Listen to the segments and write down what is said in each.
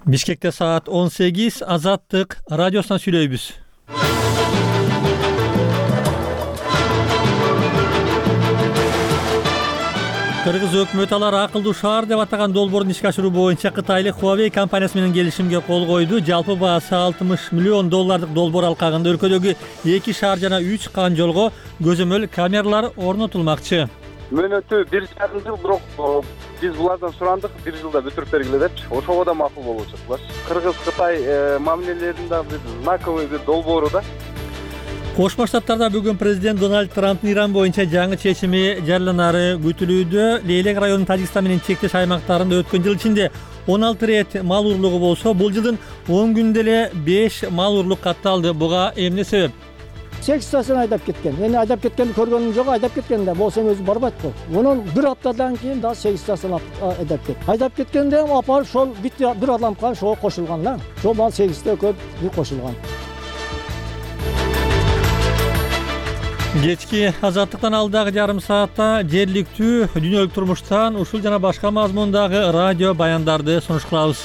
Бишкекте саат 18, Азаттык радиосунан сүйлөйбүз. Кыргыз өкмөтү алар акылдуу шаар деп атаган долбоорун ишке ашыруу боюнча кытайлык Huawei компаниясы менен келишимге кол койду. Жалпы баасы $60 миллион долбоор алкагында өлкөдөгү 2 шаар жана 3 кан жолго көзөмөл камералар орнотулмакчы. Мөөнөтү 1,5 жыл, бирок биз булардан сурандык 1 жылда бүтүрүп бергиле депчи. Ошого да макул болуп чыктылар. Кыргыз-Кытай мамилелеринде бир знаковый бир долбоору да. Кошмо Штаттарда бүгүн президент Дональд Трамптын Иран боюнча жаңы чечими жарыяланары күтүлүүдө. Лейлек районунун Тажикстан менен чектеш аймактарында өткөн жыл ичинде 16 рет мал урлугу болсо, бул жылдын 10 күндө эле 5 мал урлук катталды. Буга эмне себеп? 8-тасын айдап кеткен. Мени айдап кеткенди көргөнүм жок, айдап кеткен да болсом өзү барбайт го. Мунун бир аптадан кийин да 8-тасын айдап кетти. Айдап кеткенде апарып ошол бир адамга ошого кошулган да. Ошол мал 8-те көп бир кошулган. Кечки Азаттыктан алдагы жарым саатта жергиликтүү дүйнөлүк турмуштан ушул жана башка мазмундагы радио баяндарды сунуш кылабыз.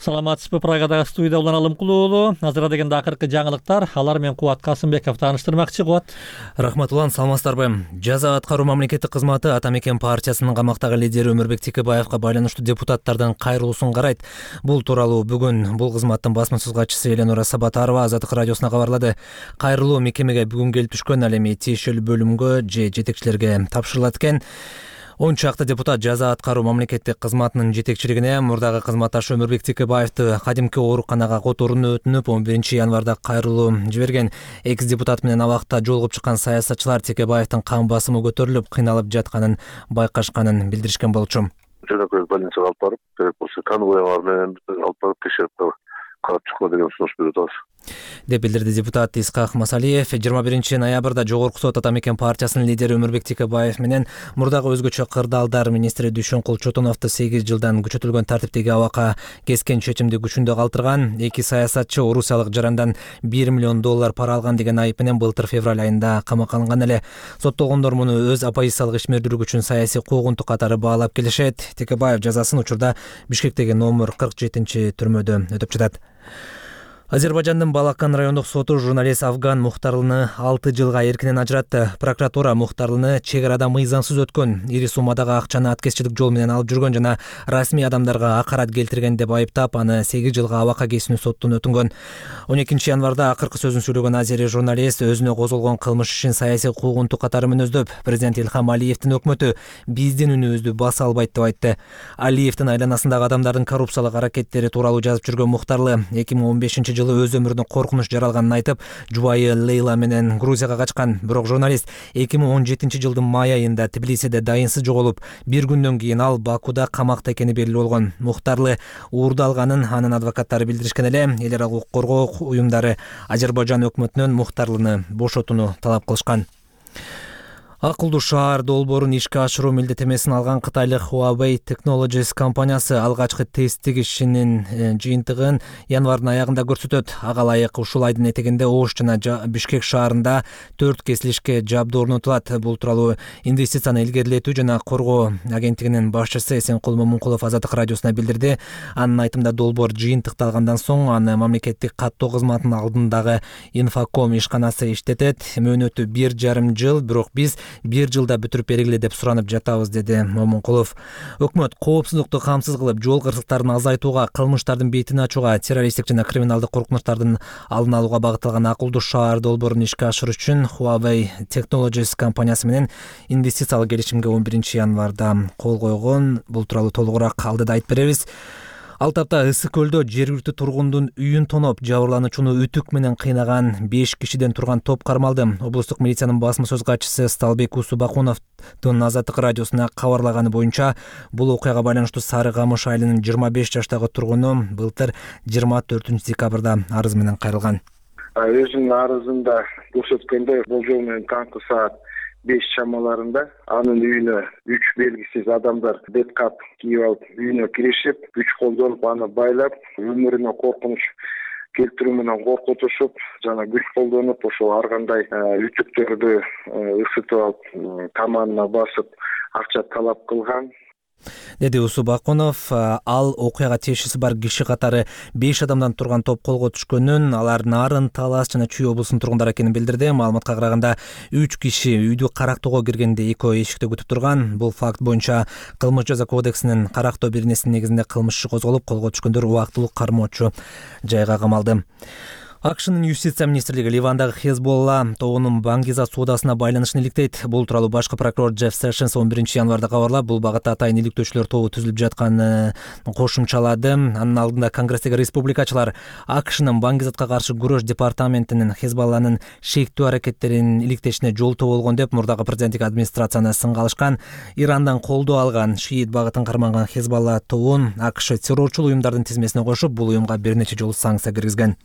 Саламатсызбы, Прагадагы студияда Улан Алымкулуу уулу. Азыр дегенде акыркы жаңылыктар, алар менен Кубат Касымбеков тааныштырмакчы. Кубат. Рахмат Улан, саламатсыздарбы. Жаза аткаруу мамлекеттик кызматы Ата Мекен партиясынын камактагы лидери Өмүрбек Текебаевга байланыштуу депутаттардын кайрылуусун карайт. Бул тууралуу бүгүн бул кызматтын басма сөз катчысы Эленора Сабатарова Азаттык радиосуна кабарлады. Кайрылуу мекемеге бүгүн келип түшкөн, ал эми тиешелүү бөлүмгө же жетекчилерге тапшырылат экен. 10 чакты депутат жаза аткаруу мамлекеттик кызматынын жетекчилигине мурдагы кызматташы Өмүрбек Текебаевди кадимки ооруканага которууну өтүнүп 11 январда кайрылуу жиберген. Экс депутат менен абакта жолугуп чыккан саясатчылар Текебаевдин кан басымы көтөрүлүп, кыйналып жатканын байкашканын билдиришкен болчу. Жөнөкөй больницага алып барып, керек болсо конвойлар менен алып барып текшерип карап чыккыла деген сунуш берип атабыз деп билдирди депутат Исхак Масалиев. 21 ноябрда Жогорку сот Ата Мекен партиясынын лидери Өмүрбек Текебаев менен мурдагы өзгөчө кырдаалдар министри Дүйшөнкул Чотоновду 8 жылдан күчөтүлгөн тартиптеги абакка кескен чечимди күчүндө калтырган. Эки саясатчы орусиялык жарандан $1 миллион пара алган деген айып менен былтыр февраль айында камакка алынган эле. Соттолгондор муну өз оппозициялык ишмердүүлүк үчүн саясий куугунтук катары баалап келишет. Текебаев жазасын учурда Бишкектеги номер 47 түрмөдө өтөп жатат. Азербайжандын Балакан райондук соту журналист Афган Мухтарлыны 6 жылга эркинен ажыратты. Прокуратура Мухтарлыны чек арада мыйзамсыз өткөн, ири суммадагы акчаны аткезчилик жол менен алып жүргөн жана расмий адамдарга акарат келтирген деп айыптап, аны 8 жылга абакка кесүүнү соттун өтүнгөн. 12 январда акыркы сөзүн сүйлөгөн азери журналист өзүнө козголгон кылмыш ишин саясий куугунтук катары мүнөздөп, президент Илхам Алиевдин өкмөтү биздин үнүбүздү баса албайт деп айтты. Алиевдин айланасындагы адамдардын коррупциялык аракеттери тууралуу жазып жүргөн Мухтарлы 2015 жылы өз өмүрүнүн коркунуч жаралганын айтып, жубайы Лейла менен Грузияга качкан. Бирок журналист 2017 жылдын май айында Тбилисиде дайынсыз жоголуп, бир күндөн кийин ал Бакуда камакта экени белгилүү болгон. Мухтарлы уурдалганын анын адвокаттары билдиришкен эле. Эл аралык укук коргоо уюмдары Азербайжан өкмөтүнөн Мухтарлыны бошотууну талап кылышкан. Акылдуу шаар долбоорун ишке ашыруу милдеттемесин алган кытайлык Huawei Technologies компаниясы алгачкы тесттик ишинин жыйынтыгын январдын аягында көрсөтөт. Ага ылайык ушул айдын этегинде Ош жана Бишкек шаарында 4 кесилишке жабдуу орнотулат. Бул тууралуу инвестицияны илгерилетүү жана коргоо агенттигинин башчысы Эсенкул Момункулов Азаттык радиосуна билдирди. Анын айтымында долбоор жыйынтыкталгандан соң аны мамлекеттик каттоо кызматынын алдындагы Infocom ишканасы иштетет. Мөөнөтү 1,5 жыл, бирок биз 1 жылда бүтүрүп бергиле деп суранып жатабыз, деди Момункулов. Өкмөт коопсуздукту камсыз кылып, жол кырсыктарын азайтууга, кылмыштардын бетин ачууга, террористтик жана криминалдык коркунучтардын алдын алууга багытталган акылдуу шаар долбоорун ишке ашыруу үчүн Huawei Technologies компаниясы менен инвестициялык келишимге 11 январда кол койгон. Бул тууралуу толугураак алдыда айтып беребиз. Ал тапта Ысык көлдө жергиликтүү тургундун үйүн тоноп, жабырлануучуну үтүк менен кыйнаган 5 кишиден турган топ кармалды. Облустук милициянын басма сөз катчысы Сталбек Усубакуновдун Азаттык радиосуна кабарлаганы боюнча, бул окуяга байланыштуу Сары Камыш айылынын 25 жаштагы тургуну былтыр 24 декабрда арыз менен кайрылган. Өзүнүн арызында көрсөткөндөй, болжол менен таңкы саат 5 чамаларында анын үйүнө 3 белгисиз адамдар беткап кийип алып үйүнө киришип, күч колдонуп аны байлап, өмүрүнө коркунуч келтирүү менен коркутушуп, жана күч колдонуп, ошол ар кандай үтүктөрдү ысытып алып, таманына басып, акча талап кылган. деди Усу Бакунов. Ал окуяга тиешеси бар киши катары 5 адамдан турган топ колго түшкөнүн, алар Нарын, Талас жана Чүй облусунун тургундары экенин билдирди. Маалыматка караганда 3 киши үйдү карактоого киргенде экөө эшикте күтүп турган. Бул факт боюнча Кылмыш жаза кодексинин карактоо бирнесинин негизинде кылмыш иши козголуп, колго түшкөндөр убактылуу кармоочу жайга камалды. АКШнын юстиция министрлиги Ливандагы Хезболла тобунун Бангиза соодасына байланышын иликтейт. Бул тууралуу башкы прокурор Джефф Сэшенс 11-январда кабарлап, бул багытта атайын иликтөөчүлөр тобу түзүлүп жатканын кошумчалады. Анын алдында Конгресстеги республикачылар АКШнын Бангизатка каршы күрөш департаментинин Хезболланын шектүү аракеттерин иликтешине жолтоо болгон деп мурдагы президенттик администрацияны сынга алышкан. Ирандан колдоо алган шиит багытын карманган Хезболла тобун АКШ террорчул уюмдардын тизмесине кошуп, бул уюмга бир нече жолу санкция киргизген.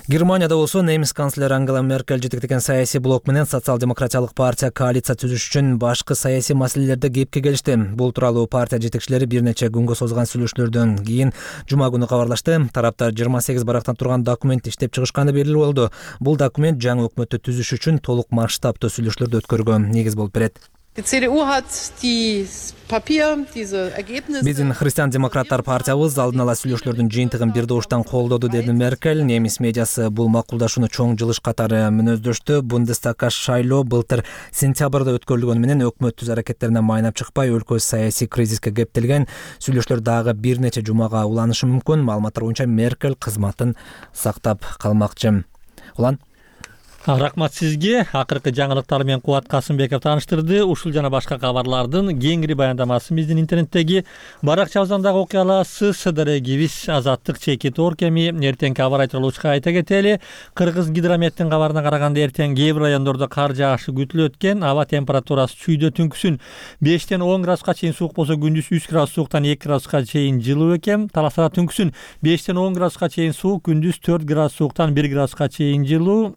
Германияда болсо немис канцлери Ангела Меркель жетектеген саясий блок менен социал-демократиялык партия коалиция түзүш үчүн башкы саясий маселелерде кепке келишти. Бул тууралуу партия жетекчилери бир нече күнгө созулган сүйлөшүүлөрдөн кийин жума күнү кабарлашты. Тараптар 28 барактан турган документ иштеп чыгышканы белгилүү болду. Бул документ жаңы өкмөттү түзүш үчүн толук масштабтуу сүйлөшүүлөрдү өткөрүүгө негиз болуп берет. Биздин христиан-демократтар партиябыз алдын ала сүйлөшүүлөрдүн жыйынтыгын бир добуштан колдоду, деди Меркель. Немис медиасы бул макулдашууну чоң жылыш катары мүнөздөштү. Бундестагга шайлоо былтыр сентябрда өткөрүлгөнү менен өкмөт түз аракеттерине майнап чыкпай, өлкө саясий кризиске кептелген. Сүйлөшүүлөр дагы бир нече жумага уланышы мүмкүн. Маалыматтар боюнча Меркель кызматын сактап калмакчы. Улан Рахмат сизге. Акыркы жаңылыктар менен Кубат Касымбеков тааныштырды. Ушул жана башка кабарлардын кеңири баяндамасын биздин интернеттеги баракчабыздан дагы окуй аласыз. Дарегибиз Азаттык чеки торкеми эртеңки аба ырайы тууралуу айта кетели. Кыргыз гидрометтин кабарына караганда эртең кээ бир райондордо кар жаашы күтүлөт экен. Аба температурасы чүйдө түнкүсүн 5-тен 10 градуска чейин суук болсо, күндүз 3 градус сууктан 2 градуска чейин жылуу экен. Таласта түнкүсүн 5-тен 10 градуска чейин суук, күндүз 4 градус сууктан 1 градуска чейин жылуу.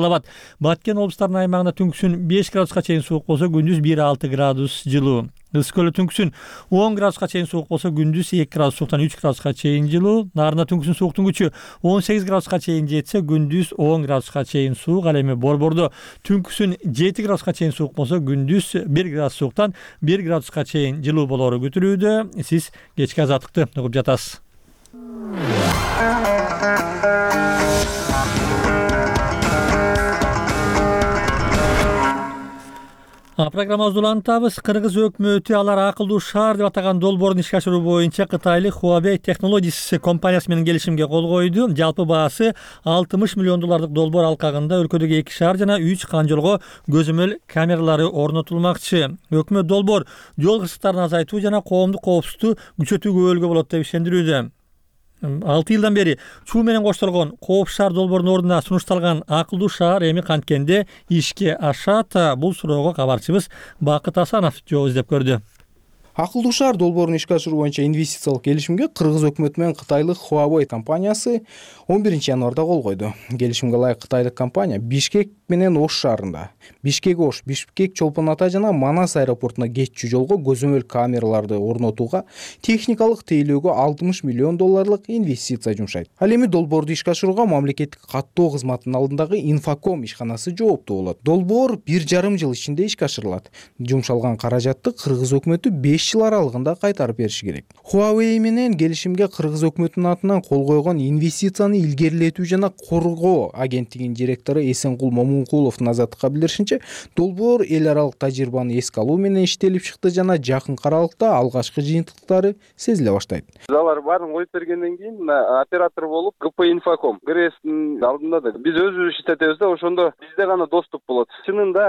Баткен облустарынын аймагында түнкүсүн 5 градуска чейин суук болсо, күндүз 1-6 градус жылуу. Ысык көлдө түнкүсүн 10 градуска чейин суук болсо, күндүз 2 градус сууктан 3 градуска чейин жылуу. Нарында түнкүсүн сууктун күчү 18 градуска чейин жетсе, күндүз 10 градуска чейин суук. Ал эми Борбордо түнкүсүн 7 градуска чейин суук болсо, күндүз 1 градус сууктан 1 градуска чейин жылуу болору күтүлүүдө. Сиз кечки азаттыкты угуп жатасыз. Программабызды улантабыз. Кыргыз өкмөтү алар акылдуу шаар деп атаган долбоорун ишке ашыруу боюнча Кытайлык Huawei Technologies компаниясы менен келишимге кол койду. Жалпы баасы $60 миллион долбоор алкагында өлкөдөгү 2 шаар жана 3 канжолго көзөмөл камералары орнотулмакчы. Өкмөт долбоор жол кырсыктарын азайтуу жана коомдук коопсуздукту күчөтүүгө өбөлгө болот деп ишендирүүдө. 6 жылдан бери чуу менен коштолгон Коопсуз шаар долбоорунун ордуна сунушталган акылдуу шаар эми канткенде ишке ашат? Бул суроого кабарчыбыз Бакыт Асанов жооп издеп көрдү. Акылдуу шаар долбоорун ишке ашыруу боюнча инвестициялык келишимге Кыргыз өкмөтү менен Кытайлык Huawei компаниясы 11-январда кол койду. Келишимге ылайык Кытайлык компания Бишкек менен Ош шаарында, Бишкек-Ош, Бишкек-Чолпон Ата жана Манас аэропортуна кетчү жолго көзөмөл камераларды орнотууга техникалык тейлөөгө $60 миллион инвестиция жумшайт. Ал эми долбоорду ишке ашырууга мамлекеттик каттоо кызматынын алдындагы Инфоком ишканасы жооптуу болот. Долбоор 1,5 жыл ичинде ишке ашырылат. Жумшалган каражатты Кыргыз өкмөтү 5 жыл аралыгында кайтарып бериши керек. Huawei менен келишимге Кыргыз өкмөтүнүн атынан кол койгон инвестицияны илгерилетүү жана коргоо агенттигинин директору Эсенкул Момункуловдун Азаттыкка билдиришинче, долбоор эл аралык тажрыйбаны эске алуу менен иштелип чыкты жана жакын аралыкта алгачкы жыйынтыктары сезиле баштайт. Алар баарын коюп бергенден кийин оператор болуп ГП Инфоком ГРСтин алдында да биз өзүбүз иштетебиз да, ошондо бизде гана доступ болот. Чынында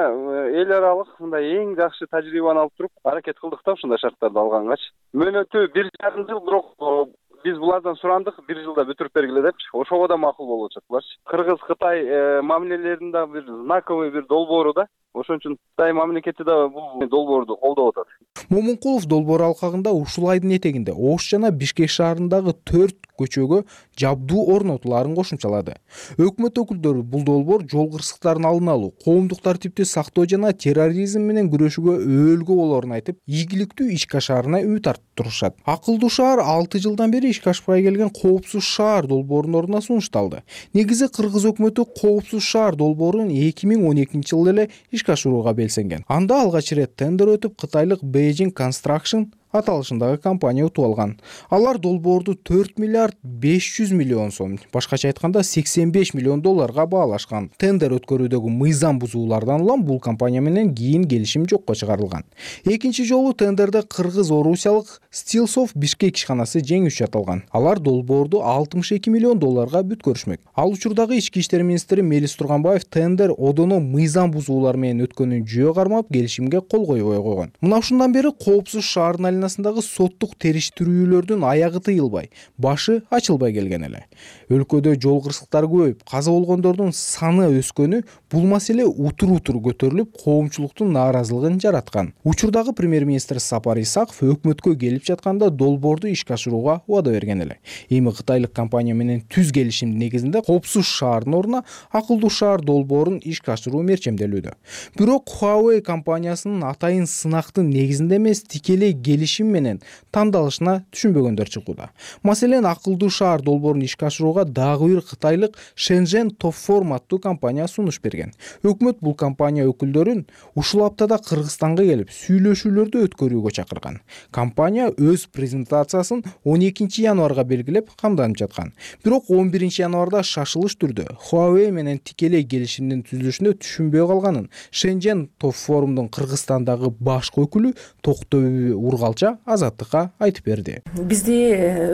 эл аралык мындай эң жакшы тажрыйбаны алып туруп аракет кылдык да ушундай шарттарды алгангачы. Мөөнөтү 1,5 жыл, бирок биз булардан сурандык 1 жылда бүтүрүп бергиле депчи. Ошого да макул болуп жатырларчы. Кыргыз-Кытай мамилелеринин бир знаковый бир долбоору да. Ошон үчүн Кытай мамлекети да бул долбоорду колдоп атат. Момункулов долбоор алкагында ушул айдын этегинде Ош жана Бишкек шаарындагы 4 көчөгө жабдуу орнотулаарын кошумчалады. Өкмөт өкүлдөрү бул долбоор жол кырсыктарын алдын алуу, коомдук тартипти сактоо жана терроризм менен күрөшүүгө өөлгө болоорун айтып, ийгиликтүү ишке ашаарына үмүт артып турушат. Акылдуу шаар 6 жылдан бери ишке ашпай келген Коопсуз шаар долбоорунун ордуна сунушталды. Негизи Кыргыз өкмөтү Коопсуз шаар долбоорун 2012-жылы эле ишке ашырууга белсенген. Анда алгач ирет тендер өтүп, Кытайлык Beijing Construction аталышындагы компания утуп алган. Алар долбоорду 4 миллиард 500 миллион сом, башкача айтканда 85 миллион долларга баалашкан. Тендер өткөрүүдөгү мыйзам бузуулардан улам бул компания менен кийин келишим жокко чыгарылган. Экинчи жолу тендерде кыргыз-орусиялык Stillsoft Бишкек ишканасы жеңүүчү аталган. Алар долбоорду 62 миллион долларга бүткөрүшмөк. Ал учурдагы ички иштер министри Мелис Турганбаев тендер одоно мыйзам бузуулар менен өткөнүн жөө кармап келишимге кол койбой койгон. Мына ушундан бери Коопсуз шаардын айланасындагы соттук териштирүүлөрдүн аягы тыйылбай, башы ачылбай келген эле. Өлкөдө жол кырсыктары көбөйүп, каза болгондордун саны өскөнү бул маселе утур-утур көтөрүлүп, коомчулуктун нааразылыгын жараткан. Учурдагы премьер-министр Сапар Исаков өкмөткө келип жатканда долбоорду ишке ашырууга убада берген эле. Эми кытайлык компания менен түз келишимдин негизинде Коопсуз шаардын ордуна акылдуу шаар долбоорун ишке ашыруу мерчемделүүдө. Бирок Huawei компаниясынын атайын сынактын негизинде эмес, тикелей келишим менен тандалышына түшүнбөгөндөр чыгууда. Маселен, акылдуу шаар долбоорун ишке ашырууга дагы бир кытайлык Shenzhen Topform аттуу компания сунуш берген. Өкмөт бул компания өкүлдөрүн ушул аптада Кыргызстанга келип сүйлөшүүлөрдү өткөрүүгө чакырган. Компания өз презентациясын 12 январга белгилеп камданып жаткан. Бирок 11 январда шашылыш түрдө Huawei менен тикелей келишимдин түзүлүшүнө түшүнбөй калганын Shenzhen Topformдун Кыргызстандагы башкы өкүлү Токтоби Ургалча Азаттыкка айтып берди. Бизди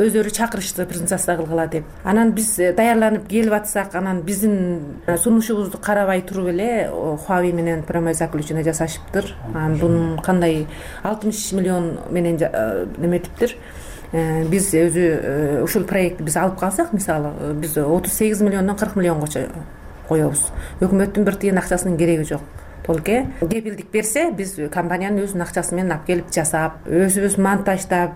өздөрү чакырышты презентация кылгыла деп. Анан биз даярданып келип атсак, анан биздин сунушубузду карабай туруп эле Huawei менен прямой заключение жасашыптыр. Анан бунун кандай 60 миллион менен неметиптир. Биз өзү ушул проектти биз алып калсак, мисалы, биз 38 миллиондон 40 миллионго коебуз. Өкмөттүн бир тыйын акчасынын кереги жок. Толке кепилдик берсе, биз компаниянын өзүнүн акчасы менен алып келип жасап, өзүбүз монтаждап,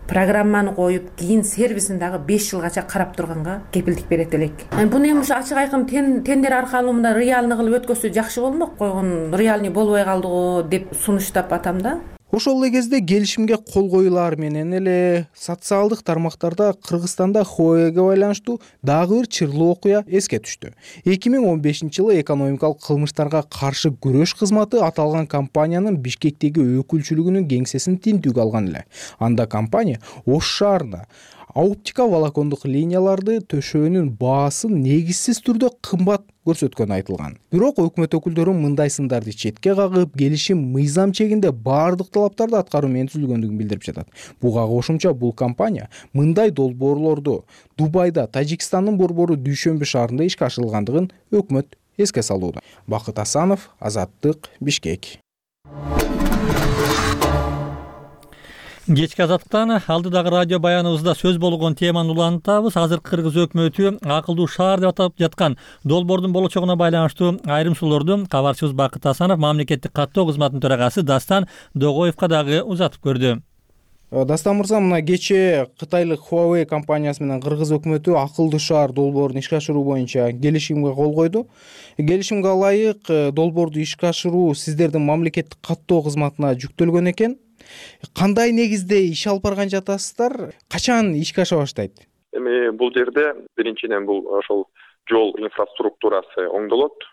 программаны коюп, кийин сервисин дагы 5 жылгача карап турганга кепилдик берет элек. Буну эми ушу ачык айкын тендер аркылуу мында реальный кылып өткөзсө жакшы болмок. Койгон реальный болбой калды го деп сунуштап атам да. Ошол эле кезде келишимге кол коюлар менен эле социалдык тармактарда Кыргызстанда Huawei'ге байланыштуу дагы бир чырлуу окуя эске түштү. 2015-жылы экономикалык кылмыштарга каршы күрөш кызматы аталган компаниянын Бишкектеги өкүлчүлүгүнүн кеңсесин тинтүүгө алган эле. Анда компания Ош шаарында оптика волокондук линияларды төшөөнүн баасын негизсиз түрдө кымбат көрсөткөнү айтылган. Бирок өкмөт өкүлдөрү мындай сындарды четке кагып, келишим мыйзам чегинде баардык талаптарды аткаруу менен түзүлгөндүгүн билдирип жатат. Буга кошумча бул компания мындай долбоорлорду Дубайда, Тажикстандын борбору Дүйшөмбү шаарында ишке ашырылгандыгын өкмөт эске салууда. Бакыт Асанов, Азаттык, Бишкек. Кечки Азаттыктан алдыдагы радио баяныбызда сөз болгон теманы улантабыз. Азыр Кыргыз өкмөтү акылдуу шаар деп атап жаткан долбоордун болочогуна байланыштуу айрым суроолорду кабарчыбыз Бакыт Асанов мамлекеттик каттоо кызматынын төрагасы Дастан Догоевго дагы узатып көрдү. Дастан мырза, мына кечээ кытайлык Huawei компаниясы менен Кыргыз өкмөтү акылдуу шаар долбоорун ишке ашыруу боюнча келишимге кол койду. Келишимге ылайык долбоорду ишке ашыруу сиздердин мамлекеттик каттоо кызматына жүктөлгөн экен. Кандай негизде иш алып барган жатасыздар? Качан ишке аша баштайт? Эми бул жерде биринчиден бул ошол жол инфраструктурасы оңдолот.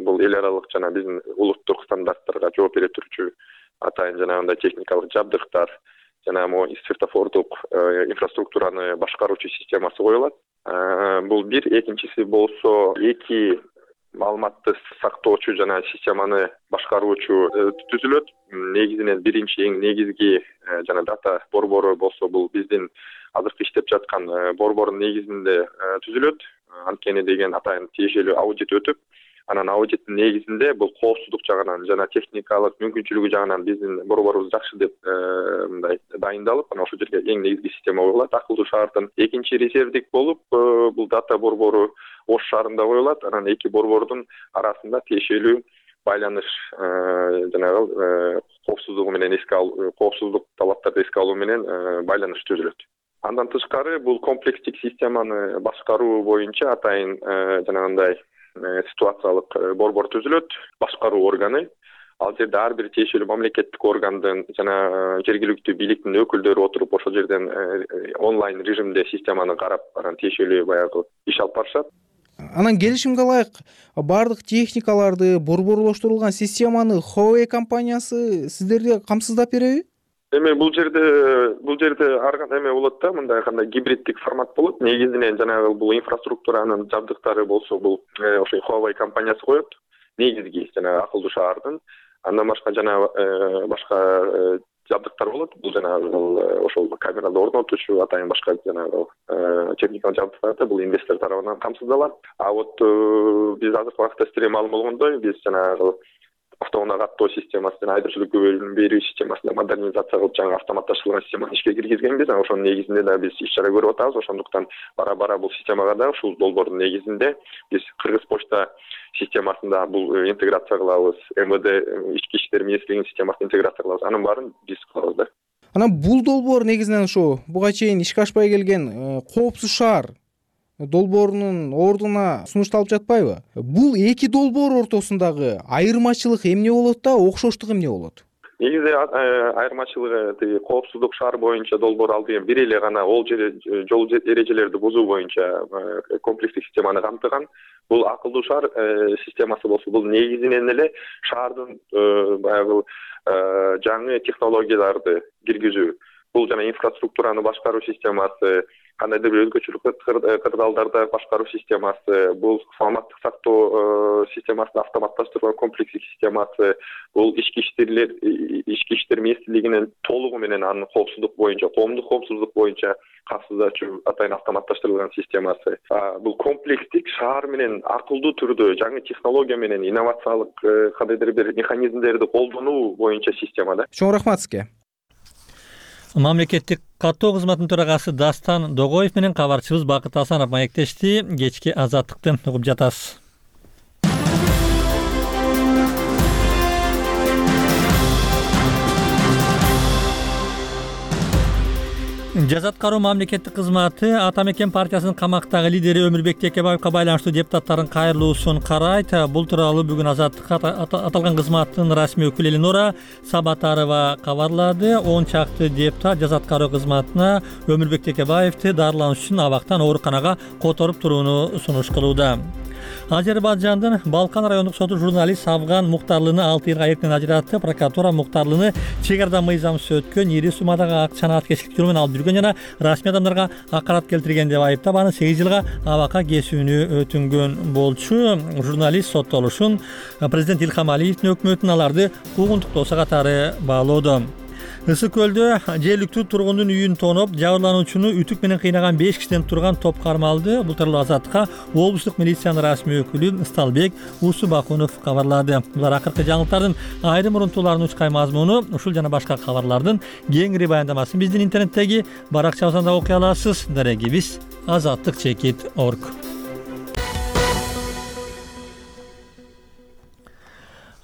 Бул эл аралык жана биздин улуттук стандарттарга жооп бере турчу атайын жанагындай техникалык жабдыктар жана могу светофордук инфраструктураны башкаруучу системасы коюлат. Бул бир, экинчиси болсо эки маалыматты сактоочу жана системаны башкаруучу түзүлөт. Негизинен биринчи эң негизги жана дата борбору болсо бул биздин азыркы иштеп жаткан борбордун негизинде түзүлөт. Анткени деген атайын тиешелүү аудит өтүп, анан аудиттин негизинде бул коопсуздук жагынан жана техникалык мүмкүнчүлүгү жагынан биздин борборубуз жакшы деп мындай дайындалып, анан ошол жерге эң негизги система коюлат. Акылдуу шаардын экинчи резервдик болуп бул дата борбору Ош шаарында коюлат. Анан эки борбордун арасында тиешелүү байланыш жанагы коопсуздугу менен коопсуздук талаптарды эске алуу менен байланыш түзүлөт. Андан тышкары бул комплекстик системаны башкаруу боюнча атайын жанагындай ситуациялык борбор түзүлөт, башкаруу органы. Ал жерде ар бир тиешелүү мамлекеттик органдын жана жергиликтүү бийликтин өкүлдөрү отуруп ошол жерден онлайн режимде системаны карап, анан тиешелүү баягы иш алып барышат. Анан келишимге ылайык бардык техникаларды, борборлоштурулган системаны Huawei компаниясы сиздерге камсыздап береби? Эми бул жерде эме болот да, мындай кандай гибриддик формат болот. Негизинен жанагы бул инфраструктуранын жабдыктары болсо бул ошо Huawei компаниясы коет. Негизги жанагы акылдуу шаардын. Андан башка жанагы башка жабдыктар болот. Бул жанагы ошол камераларды орнотуучу атайын башка жанагы техникалык жабдыктар бул инвестор тарабынан камсыздалат. А вот биз азыркы убакытта сиздерге маалым болгондой, биз жанагы автоунаа каттоо системасын, айдоочулукка бөлүм берүү системасын модернизация кылып, жаңы автоматташтырылган системаны ишке киргизгенбиз. Ошонун негизинде да биз иш-чара көрүп атабыз. Ошондуктан бара-бара бул системага да ушул долбоордун негизинде биз Кыргыз почта системасында бул интеграция кылабыз. МВД ички иштер министрлигинин системасын интеграция кылабыз. Анын баарын биз кылабыз да. Анан бул долбоор негизинен ушу буга чейин ишке ашпай келген коопсуз шаар долбоорунун ордуна сунушталып жатпайбы? Бул эки долбоор ортосундагы айырмачылык эмне болот да, окшоштук эмне болот? Негизи айырмачылыгы тиги коопсуздук шаар боюнча долбоор ал деген бир эле гана ол жол эрежелерди бузуу боюнча комплекстик системаны камтыган. Бул акылдуу шаар системасы болсо бул негизинен эле шаардын баягы жаңы технологияларды киргизүү. Бул жана инфраструктураны башкаруу системасы, кандайдыр бир өзгөчөлүк кырдаалдарда башкаруу системасы, бул саламаттык сактоо системасын автоматташтырган комплекстик системасы, бул ички иштер министрлигинин толугу менен анын коопсуздук боюнча, коомдук коопсуздук боюнча камсыздоочу атайын автоматташтырылган системасы. Бул комплекстик шаар менен акылдуу түрдө жаңы технология менен инновациялык кандайдыр бир механизмдерди колдонуу боюнча система да. Чоң рахмат сизге. Мамлекеттик каттоо кызматынын төрагасы Дастан Догоев менен кабарчыбыз Бакыт Асанов маектешти. Кечки азаттыкты угуп жатасыз. Жазат кароо мамлекеттик кызматы Ата Мекен партиясынын камактагы лидери Өмүрбек Текебаевка байланыштуу депутаттардын кайрылуусун карайт. Бул тууралуу бүгүн Азаттыкка аталган кызматтын расмий өкүлү Эленора Сабатарова кабарлады. 10 чакты депутат жазат кароо кызматына Өмүрбек Текебаевди дарылануш үчүн абактан ооруканага которуп турууну сунуш кылууда. Азербайжандын Балкан райондук соту журналист Афган Муктарлыны 6 жылга эркинен ажыратты. Прокуратура Муктарлыны чек арада мыйзамсыз өткөн, ири суммадагы акчаны аткечилик жолу менен алып жүргөн жана расмий адамдарга акарат келтирген деп айыптап, аны 8 жылга абакка кесүүнү өтүнгөн болчу. Журналист соттолушун президент Илхам Алиевдин өкмөтүн аларды куугунтуктоосу катары баалоодо. Ысык көлдө жергиликтүү тургундун үйүн тоноп, жабырлануучуну үтүк менен кыйнаган 5 кишиден турган топ кармалды. Бул тууралуу Азаттыкка облустук милициянын расмий өкүлү Сталбек Усубакунов кабарлады. Булар акыркы жаңылыктардын айрым урунтууларынын учкай мазмуну, ушул жана башка кабарлардын кеңири баяндамасын биздин интернеттеги баракчабыздан окуй аласыз. Дарегибиз azattik.org.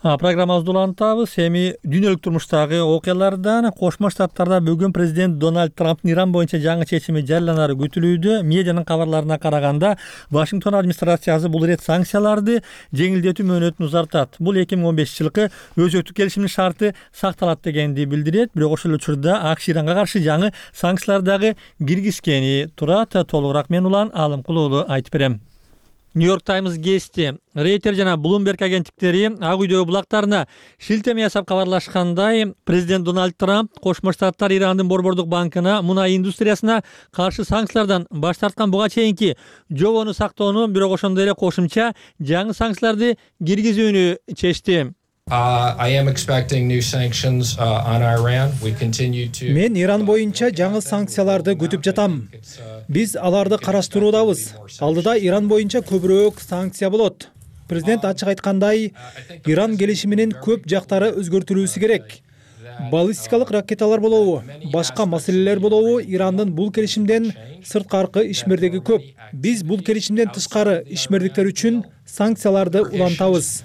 Программабызды улантабыз. Эми дүйнөлүк турмуштагы окуялардан Кошмо Штаттарда бүгүн президент Дональд Трамптын Иран боюнча жаңы чечими жарыяланары күтүлүүдө. Медианын кабарларына караганда, Вашингтон администрациясы бул ирет санкцияларды жеңилдетүү мөөнөтүн узартат. Бул 2015-жылкы өзөктүк келишимдин шарты сакталат дегенди билдирет. Бирок ошол учурда АКШ Иранга каршы жаңы санкциялар дагы киргизгени турат. Толугураак мен Улан Алымкул уулу айтып берем. Нью-Йорк Таймс гезити, Рейтер жана Bloomberg агенттиктери Ак үйдөгү булактарына шилтеме жасап кабарлашкандай, президент Дональд Трамп Кошмо Штаттар Ирандын Борбордук банкына мунай индустриясына каршы санкциялардан баш тарткан буга чейинки жобону сактоону, бирок ошондой эле кошумча жаңы санкцияларды киргизүүнү чечти. Мен Иран боюнча жаңы санкцияларды күтүп жатам. Биз аларды караштыруудабыз. Алдыда Иран боюнча көбүрөөк санкция болот. Президент ачык айткандай, Иран келишиминин көп жактары өзгөртүлүүсү керек. Баллистикалык ракеталар болобу, башка маселелер болобу, Ирандын бул келишимден сырткаркы ишмердиги көп. Биз бул келишимден тышкары ишмердиктер үчүн санкцияларды улантабыз.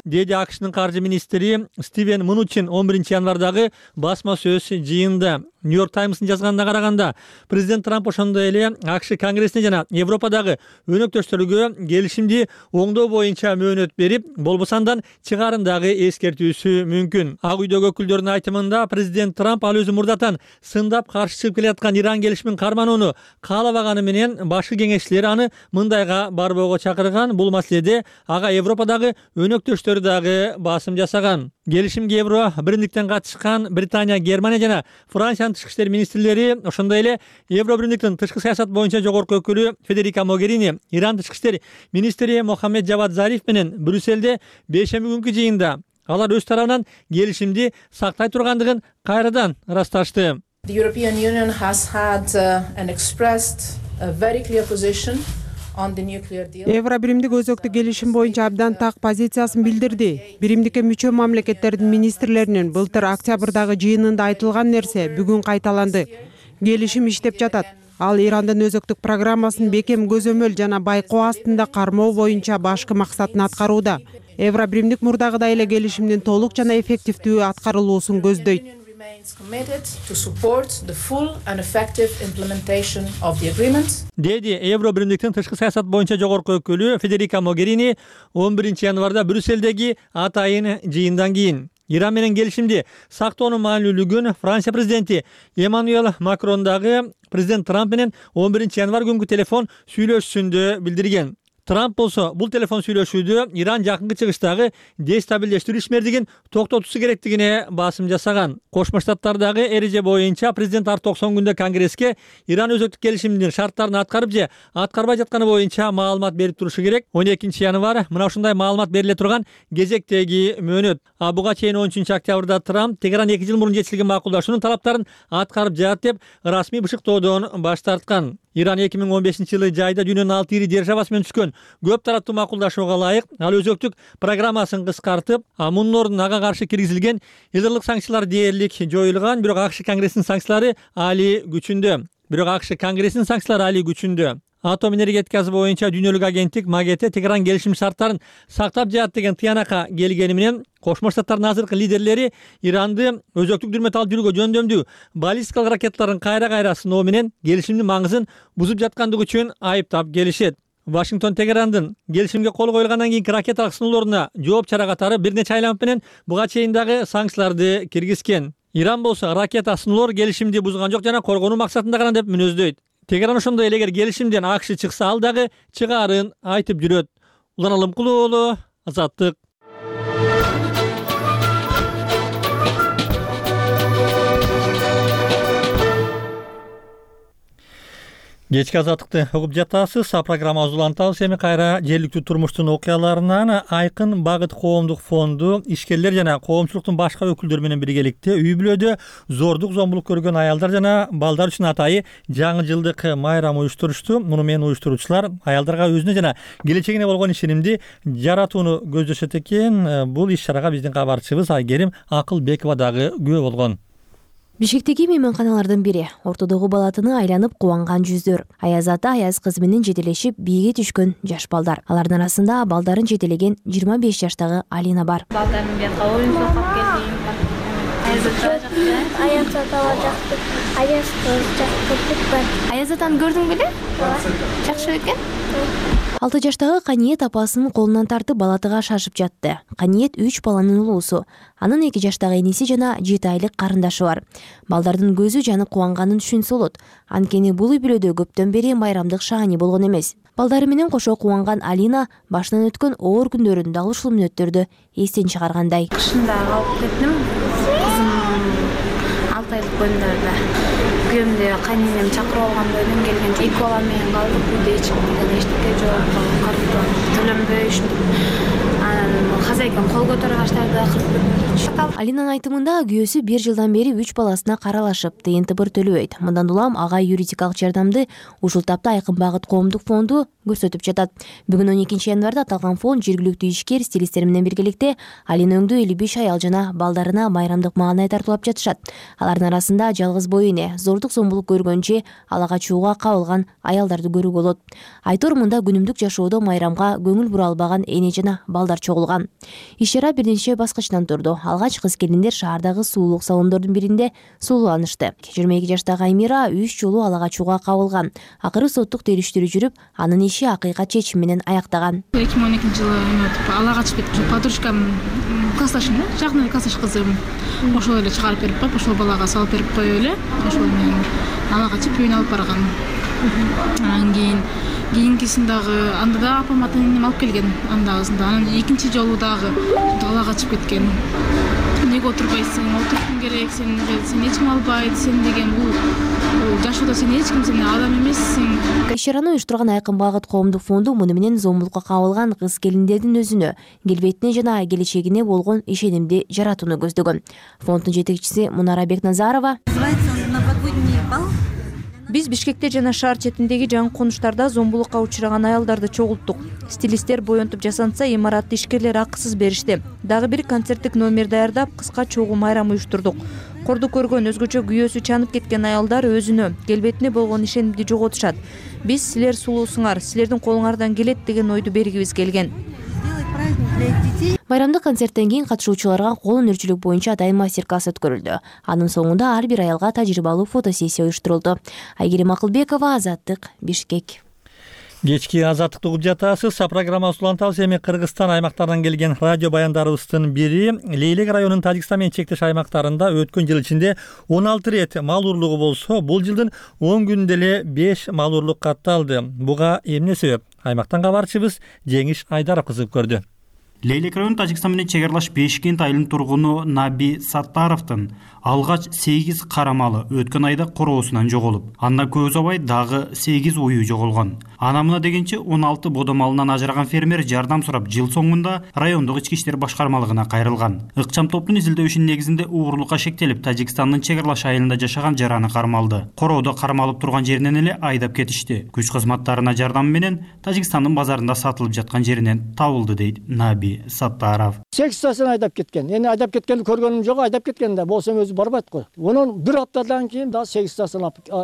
Деди АКШнын каржы министри Стивен Мнучин 11 январдагы басма сөз жыйында. Нью-Йорк Таймстын жазганына караганда, президент Трамп ошондой эле АКШ Конгрессине жана Европадагы өнөктөштөргө келишимди оңдоо боюнча мөөнөт берип, болбосандан чыгарын дагы эскертүүсү мүмкүн. Ак үйдөгү өкүлдөрдүн айтымында, президент Трамп ал өзү мурдатан сындап каршы чыгып келаткан Иран келишимин карманууну каалабаганы менен башкы кеңешчилер аны мындай Италияга барбоого чакырган. Бул маселеде ага Европадагы өнөктөштөрү дагы басым жасаган. Келишимге Евро биримдиктен катышкан Британия, Германия жана Франциянын тышкы иштер министрлери, ошондой эле Евро биримдиктин тышкы саясат боюнча жогорку өкүлү Федерика Могерини, Иран тышкы иштер министри Мохаммед Жавад Зариф менен Брюссельде бейшемби күнкү жыйында алар өз тарабынан келишимди сактай тургандыгын кайрадан ырасташты. The European Union has had and expressed a very clear position on the nuclear deal. Евро биримдик өзөктү келишим боюнча абдан так позициясын билдирди. Биримдикке мүчө мамлекеттердин министрлеринин былтыр октябрдагы жыйынында айтылган нерсе бүгүн кайталанды. Келишим иштеп жатат. Ал Ирандын өзөктүк программасын бекем көзөмөл жана байкоо астында кармоо боюнча башкы максатын аткарууда. Евро биримдик мурдагыдай эле келишимдин толук жана эффективдүү аткарылуусун көздөйт. Деди Евро биримдиктин тышкы саясат боюнча жогорку өкүлү Федерика Могерини 11 январда Брюссельдеги атайын жыйындан кийин. Иран менен келишимди сактоонун маанилүүлүгүн Франция президенти Эммануэль Макрон дагы президент Трамп менен 11 январ күнгү телефон сүйлөшүүсүндө билдирген. Трамп болсо бул телефон сүйлөшүүдө Иран жакынкы чыгыштагы дестабилдештирүү ишмердигин токтотуусу керектигине басым жасаган. Кошмо Штаттардагы эреже боюнча президент ар 90 күндө Конгресске Иран өзөктүк келишимдин шарттарын аткарып же аткарбай жатканы боюнча маалымат берип турушу керек. 12 январ мына ушундай маалымат бериле турган кезектеги мөөнөт. Буга чейин 13 октябрда Трамп Тегеран 2 жыл мурун жетишилген макулдашуунун талаптарын аткарып жатат деп расмий бышыктоодон баш тарткан. Иран 2015-жылы жайда дүйнөнүн 6 ири державасы менен түшкөн көп тараптуу макулдашууга ылайык ал өзөктүк программасын кыскартып, мунун ордуна ага каршы киргизилген элдерлик санкциялар дээрлик жоюлган, бирок АКШ Конгрессинин санкциялары али күчүндө. Атом энергетикасы боюнча дүйнөлүк агенттик МАГАТЭ Тегеран келишим шарттарын сактап жатат деген тыянакка келгени менен Кошмо Штаттардын азыркы лидерлери Иранды өзөктүк дүрмөт алып жүрүүгө жөндөмдүү баллистикалык ракеталарын кайра сыноо менен келишимдин маңызын бузуп жаткандыгы үчүн айыптап келишет. Вашингтон Тегерандын келишимге кол коюлгандан кийинки ракеталык сыноолоруна жооп чара катары бир нече айланып менен буга чейин дагы санкцияларды киргизген. Иран болсо ракета сыноолор келишимди бузган жок жана коргонуу максатында гана деп мүнөздөйт. Тегеран ошондой эле эгер келишимден АКШ чыкса ал дагы чыгаарын айтып жүрөт. Улан Алымкулуу уулу, Азаттык. Кечки Азаттыкты угуп жатасыз. Программабызды улантабыз. Эми кайра жергиликтүү турмуштун окуяларынан Айкын Багыт коомдук фонду ишкерлер жана коомчулуктун башка өкүлдөрү менен биргеликте үй бүлөдө зордук зомбулук көргөн аялдар жана балдар үчүн атайы жаңы жылдык майрам уюштурушту. Муну менен уюштуруучулар аялдарга өзүнө жана келечегине болгон ишенимди жаратууну көздөшөт экен. Бул иш чарага биздин кабарчыбыз Айгерим Акылбекова дагы күбө болгон. Бишкектеги мейманканалардын бири ортодогу балатыны айланып кубанган жүздөр. Аяз ата аяз кызы менен жетелешип бийге түшкөн жаш балдар. Алардын арасында балдарын жетелеген 25 жаштагы Алина бар. Балдардын бияка оюн сокуп келдим. Аяз атага жакты. Аяз жакты. Аяз атаны көрдүң беле? Жакшы экен. 6 жаштагы Каниет апасынын колунан тартып балатыга шашып жатты. Каниет 3 баланын улуусу. Анын 2 жаштагы энеси жана 7 айлык карындашы бар. Балдардын көзү жанып кубанганын түшүнсө болот. Анткени бул үй бүлөдө көптөн бери майрамдык шаани болгон эмес. Балдары менен кошо кубанган Алина башынан өткөн оор күндөрүн дал ушул мүнөттөрдө эстен чыгаргандай. Кышында калып кеттим. Кызым 6 айлык боюнда. Күйөөмдү кайненем чакырып алган бойдон келген 2 бала менен калдык. Үйдө эчтеке жок. Төлөнбөй анан хозяйкам кол көтөрө баштады. Алинанын айтымында күйөөсү 1 жылдан бери 3 баласына каралашып, тыйын-тыбыр төлөбөйт. Мындан улам ага юридикалык жардамды ушул тапта Айкын Багыт коомдук фонду көрсөтүп жатат. Бүгүн 12 январда аталган фонд жергиликтүү ишкер стилисттер менен биргеликте Алина өңдүү 55 аял жана балдарына майрамдык маанай тартуулап жатышат. Алардын арасында жалгыз бой эне, зордук зомбулук көргөнчө ала качууга кабылган аялдарды көрүүгө болот. Айтор мында күнүмдүк жашоодо майрамга көңүл бура албаган эне жана балдар чогулган. Иш чара бир нече баскычтан турду. Алгач кыз келиндер шаардагы суулук салондордун биринде сууланышты. 22 жаштагы Аймира 3 жолу ала качууга кабылган. Акыры соттук териштирүү жүрүп, анын иши акыйкат чечим менен аяктаган. 2012-жылы ала качып кетип, подружкам классташым, жакын классташ кызым. Ошол эле чыгарып берип коюп, ошол балага салып берип коюп эле, ошол менен ала качып үйүнө алып барган. Анан кийин кийинкисин дагы анда да апам ата энем алып келген, андагысын да. Анан экинчи жолу дагы далага качып кеткен. Эмнеге отурбайсың? Отурушуң керек, сен эч ким албайт, сен деген бул жашоодо сен эч ким, сен адам эмессиң. Иш-чараны уюштурган Айкын Багыт коомдук фонду муну менен зомбулукка кабылган кыз келиндердин өзүнө, келбетине жана келечегине болгон ишенимди жаратууну көздөгөн. Фонддун жетекчиси Мунара Бекназарова: Биз Бишкекте жана шаар четиндеги жаңы конуштарда зомбулукка учураган аялдарды чогулттук. Стилисттер боентуп жасанса, имаратты ишкерлер акысыз беришти. Дагы бир концерттик номер даярдап, кыска чогуу майрам уюштурдук. Корду көргөн, өзгөчө күйөөсү чанып кеткен аялдар өзүнө, келбетине болгон ишенимди жоготушат. Биз силер сулуусуңар, силердин колуңардан келет деген ойду бергибиз келген. Майрамдык концерттен кийин катышуучуларга кол өнөрчүлүк боюнча атайын мастер-класс өткөрүлдү. Анын соңунда ар бир аялга тажрыйбалуу фотосессия уюштурулду. Айгерим Акылбекова, Азаттык, Бишкек. Кечки Азаттыкты угуп жатасыз. Программабыз улантабыз. Эми Кыргызстан аймактарынан келген радио баяндарыбыздын бири Лейлек районунун Тажикстан менен чектеш аймактарында өткөн жыл ичинде 16 рет мал урлугу болсо, бул жылдын 10 күнүндө эле 5 мал урлук катталды. Буга эмне себеп? Аймактан кабарчыбыз Жеңиш Айдаров кызыгып көрдү. Лейлек району Тажикстан менен чегарлаш Бешкент айылынын тургуну Наби Саттаровдун алгач 8 кара малы өткөн айда короосунан жоголуп, анда көп узабай дагы 8 уюу жоголгон. Ана мына дегенче 16 бодо малынан ажыраган фермер жардам сурап жыл соңунда райондук ички иштер башкармалыгына кайрылган. Ыкчам топтун изилдөөшүнүн негизинде уурулукка шектелип, Тажикстандын чегарлаш айылында жашаган жараны кармалды. Короодо кармалып турган жеринен эле айдап кетишти. Күч кызматтарына жардам менен Тажикстандын базарында сатылып жаткан жеринен табылды, дейт Наби Саттаров. 8 айдап кеткен. Эми айдап кеткенди көргөнүм жок, айдап кеткен да болсом өзү барбайт го. Онун бир аптадан кийин да 8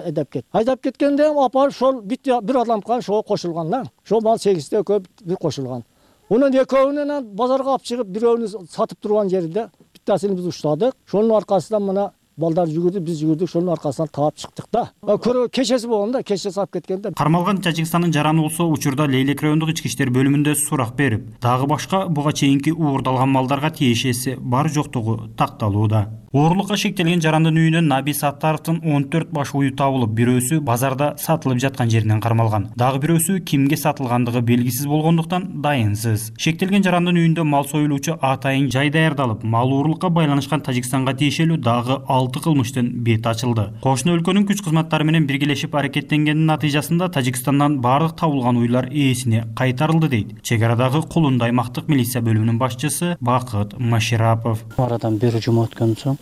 айдап кетти. Айдап кеткенде апар ошол бир адамга ошо кошулган да. Ошол мал 8 көп бир кошулган. Онун экөөнүн базарга алып чыгып, бирөөнү сатып турган жерде биттасын биз уштадык. Ошонун аркасынан мына балдар жүгүрдү, биз жүгүрдүк, ошонун аркасынан таап чыктык да. Көрө кечеси болгон да, кече сап кеткенде. Кармалган Тажикстандын жараны болсо, учурда Лейлек райондук ички иштер бөлүмүндө сурак берип, дагы башка буга чейинки уурдалган малдарга тиешеси бар жоктугу такталууда. Уурулукка шектелген жарандын үйүнөн Наби Саттаровдун 14 баш уyu табылып, бирөөсү базарда сатылып жаткан жеринен кармалган. Дагы бирөөсү кимге сатылгандыгы белгисиз болгондуктан дайынсыз. Шектелген жарандын үйүндө мал союлуучу атайын жай даярдалып, мал уурулукка байланышкан Тажикстанга тиешелүү дагы 6 кылмыштын бети ачылды. Кошуна өлкөнүн күч кызматтары менен биргелешип аракеттенгендин натыйжасында Тажикстандан бардык табылган уйлар ээсине кайтарылды, дейт чек арадагы Кулунду аймактык милиция бөлүмүнүн башчысы Бакыт Маширапов. Арадан бир жума өткөн соң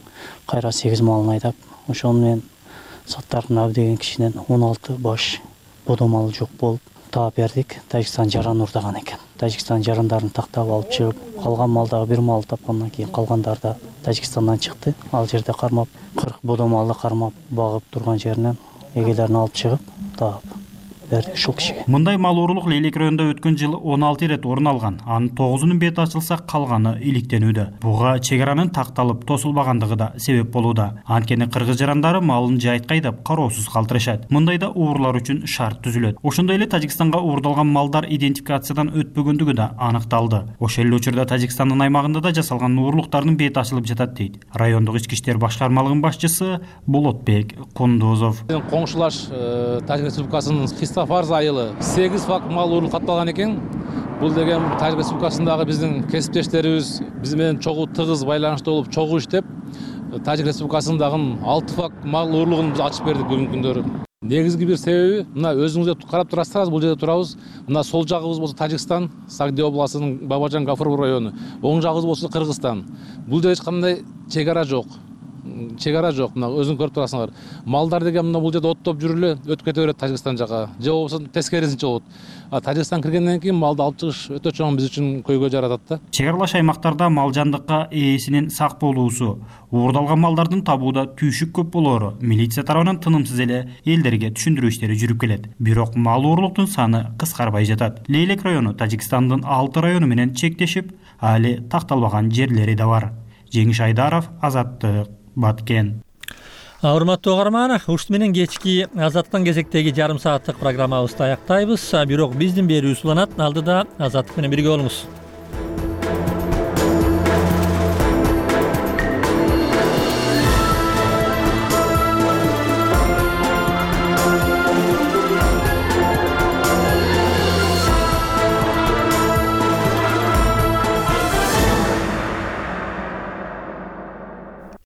кайра 8 малын айдап, ошону менен Саттаров деген кишинен 16 баш бодо мал жок болуп таап бердик. Тажикстан жаран урдаган экен. Тажикстан жарандарын тактап алып чыгып, калган малдагы бир мал тапкандан кийин калгандар да Тажикстандан чыкты. Ал жерде кармап, 40 бодо малды кармап багып турган жеринен эгелерин алып чыгып таап берди ушул кишиге. Мындай мал уурулук Лейлек районунда өткөн жылы 16 рет орун алган. Анын 9-унун бети ачылса, калганы иликтенүүдө. Буга чек аранын такталып тосулбагандыгы да себеп болууда. Анткени кыргыз жарандары малын жайытка айдап кароосуз калтырышат. Мындайда уурлар үчүн шарт түзүлөт. Ошондой эле Тажикстанга уурдалган малдар идентификациядан өтпөгөндүгү да аныкталды. Ошол эле учурда Тажикстандын аймагында да жасалган уурулуктардын бети ачылып жатат, дейт райондук ички иштер башкармалыгынын башчысы Болотбек Кундузов. Коңшулаш Тажик Республикасынын Фарз айылы 8 факт мал уурулук катталган экен. Бул деген Тажик Республикасындагы биздин кесиптештерибиз биз менен чогуу тыгыз байланышта болуп, чогуу иштеп, Тажик Республикасындагы 6 факт мал уурулугун биз ачып бердик бүгүнкү күндөрү. Негизги бир себеби, мына өзүңүздөр карап турасыздар, бул жерде турабыз. Мына сол жагыбыз болсо Тажикстан, Сагди областынын Бабажан Гафуров району. Оң жагыбыз болсо Кыргызстан. Бул жерде эч кандай чек ара жок. Мына өзүң көрүп турасыңар. Малдар деген мына бул жерде оттоп жүрүп эле өтүп кете берет Тажикстан жака. Же болбосо тескерисинче болот. Тажикстан киргенден кийин малды алып чыгыш өтө чоң биз үчүн көйгөй жаратат да. Чек аралаш аймактарда мал жандыкка ээсинин сак болуусу, уурдалган малдардын табууда түйшүк көп болоору милиция тарабынан тынымсыз эле элдерге түшүндүрүү иштери жүрүп келет. Бирок мал уурулуктун саны кыскарбай жатат. Лейлек району Тажикстандын 6 району менен чектешип, али такталбаган жерлери да бар. Жеңиш Айдаров, Азаттык, Баткен. Урматтуу угарман, ушут менен кечки Азаттыктын кезектеги жарым сааттык программабызды аяктайбыз. Бирок биздин берүүбүз уланат. Алдыда Азаттык менен бирге болуңуз.